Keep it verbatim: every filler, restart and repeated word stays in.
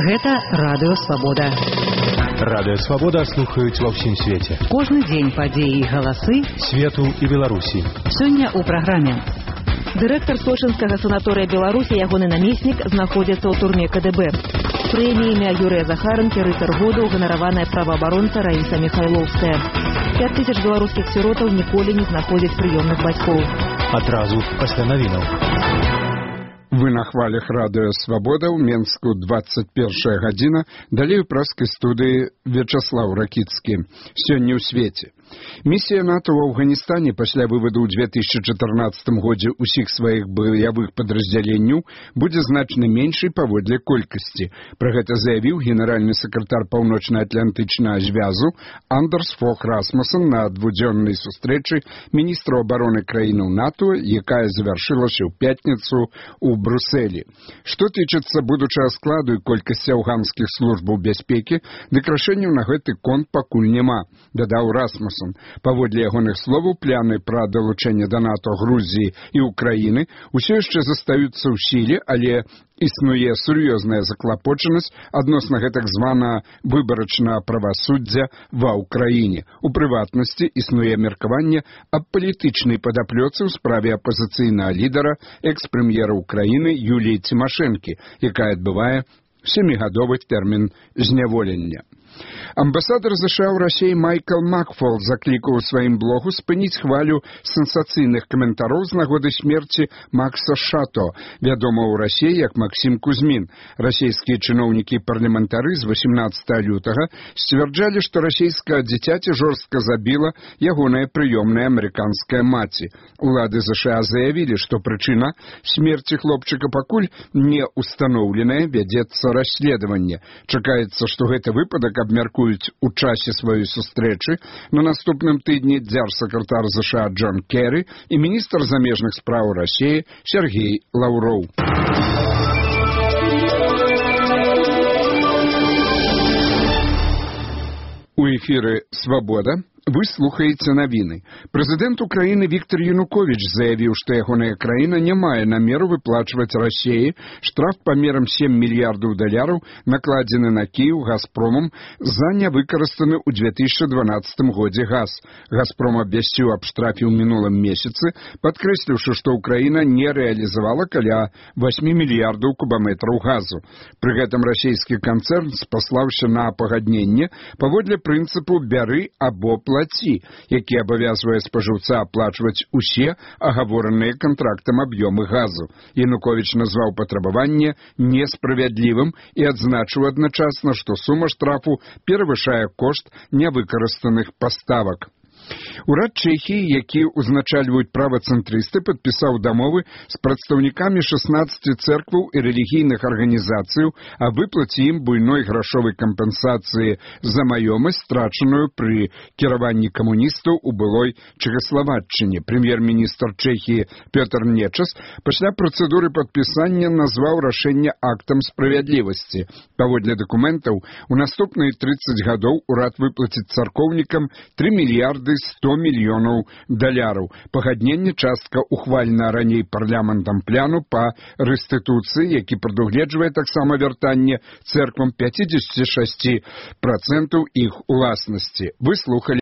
Гэта Радыё Свабода. Радыё Свабода слухаюць ва ўсім свеце. Кожны дзень падзеі і галасы свету і Беларусі. Сёння ў праграме. Дырэктар Сочынскага санаторыя Беларусі, ягоны намеснік, знаходзяцца ў турме ка дэ бэ. Прэміямі Юрыя Захаранкі рыцар года ўганараваная праваабаронца Раіса Міхайлоўская. пяць тысяч беларускіх сіротаў ніколі не знаходзяць прыёмных бацькоў. Адразу пасля навінаў. Вы на хвалях Радыё Свабода, ў Менску двадцать первая гадзіна, далей у праскай студыі Вячаслаў Ракіцкі. Сёння ў свеце. Місія НАТО ў Афганістане пасля вываду ў две тысячы чатырнаццатым годзе ўсіх сваіх баявых падраздзяленняў будзе значна меншай паводле колькасці. Пра гэта заявіў генеральны сакратар паўночна-атлантычнага звязу Андерс Фог Расмуссен на двудзённай сустрэчы міністраў абароны краінаў НАТО, якая завяршылася ў пятніцу ў Брусэлі. Што тычыцца будучага складу і колькасці афганскіх службаў бяспекі, дык рашэнняў на гэты конт пакуль няма, дадаў Расмуссен. Паводле ягоных словаў, пляны пра далучэнне да НАТО Грузіі і Украіны ўсё яшчэ застаюцца ў сіле, але існуе сур'ёзная заклапочанасць адносна гэтак звана выбарачнага правасуддзя ва ўкраіне. У прыватнасці існуе меркаванне аб палітычнай падаплёцы ў справе апазіцыйнага лідара, экс-прэм'ера Украіны Юліі Цімашэнкі, якая адбывае сямігадовы тэрмін зняволення. Амбасадар ЗША ў Расіі Майкл Макфол заклікаў у сваім блогу спыніць хвалю сенсацыйных каментароў з нагоды смерці Макса Шато, вядома ў Расіі як Максім Кузьмін. Расійскія чыноўнікі і парламентары з восемнадцатага лютага сцвярджалі, што расійскае дзіцяці жорстка забіла ягоная прыёмная амерыканская маці. Улады ЗША заявілі, што прычына смерці хлопчыка пакуль не ўстаноўленая, вядзецца расследаванне. Чакаецца, што гэты выпадак абмяркуюць у часе сваёй сустрэчы на наступным тыдні дзяржсакратар ЗША Джон Керрі і міністр замежных спраў Расіі Сергей Лаўроў. У эфіры «Свабода» вы слухаеце навіны. Прэзідэнт Украіны Віктор Януковіч заявіў, што ягоная краіна не мае намеру выплачваць Расіі штраф памерам сем мільярдаў даляраў, накладзены на Кіеў Газпромам за нявыкарыстаны ў две тысячы дванаццатым годзе газ. Газпром абвясціў аб штрафе ў мінулым месяцы, падкрэсліўшы, што Украіна не рэалізавала каля восьмі мільярдаў кубаметраў газу. Пры гэтым расійскі канцэрн спаслаўся на пагадненне паводле прынцыпу «бяры або плаці», які абавязвае спажыўца аплачваць усе агавораныя кантрактам аб'ёмы газу. Януковіч назваў патрабаванне несправядлівым і адзначыў адначасна, што сума штрафу перавышае кошт нявыкарыстаных паставак. Урад Чэхіі, які ўзначальваюць правацэнтрысты, падпісаў дамовы з прадстаўнікамі шаснаццаці цэркваў і рэлігійных арганізацыяў аб выплаце ім буйной грашовай кампенсацыі за маёмасць, страчаную пры кіраванні камуністаў у былой Чэхаславаччыне. Прэм'ер-міністр Чэхіі Пётр Нечас пасля працэдуры падпісання назваў рашэнне актам справядлівасці. Паводле дакументаў, у наступныя трыццаць гадоў урад выплаціць царкоўнікам тры мільярды сто мільёнаў даляраў. Пагадненне частка ухвалена раней парламентам пляну па рэстытуцыі, які прадугледжвае таксама вяртанне цэрквам пяцьдзесят шэсць працэнтаў іх уласнасці. Вы слухалі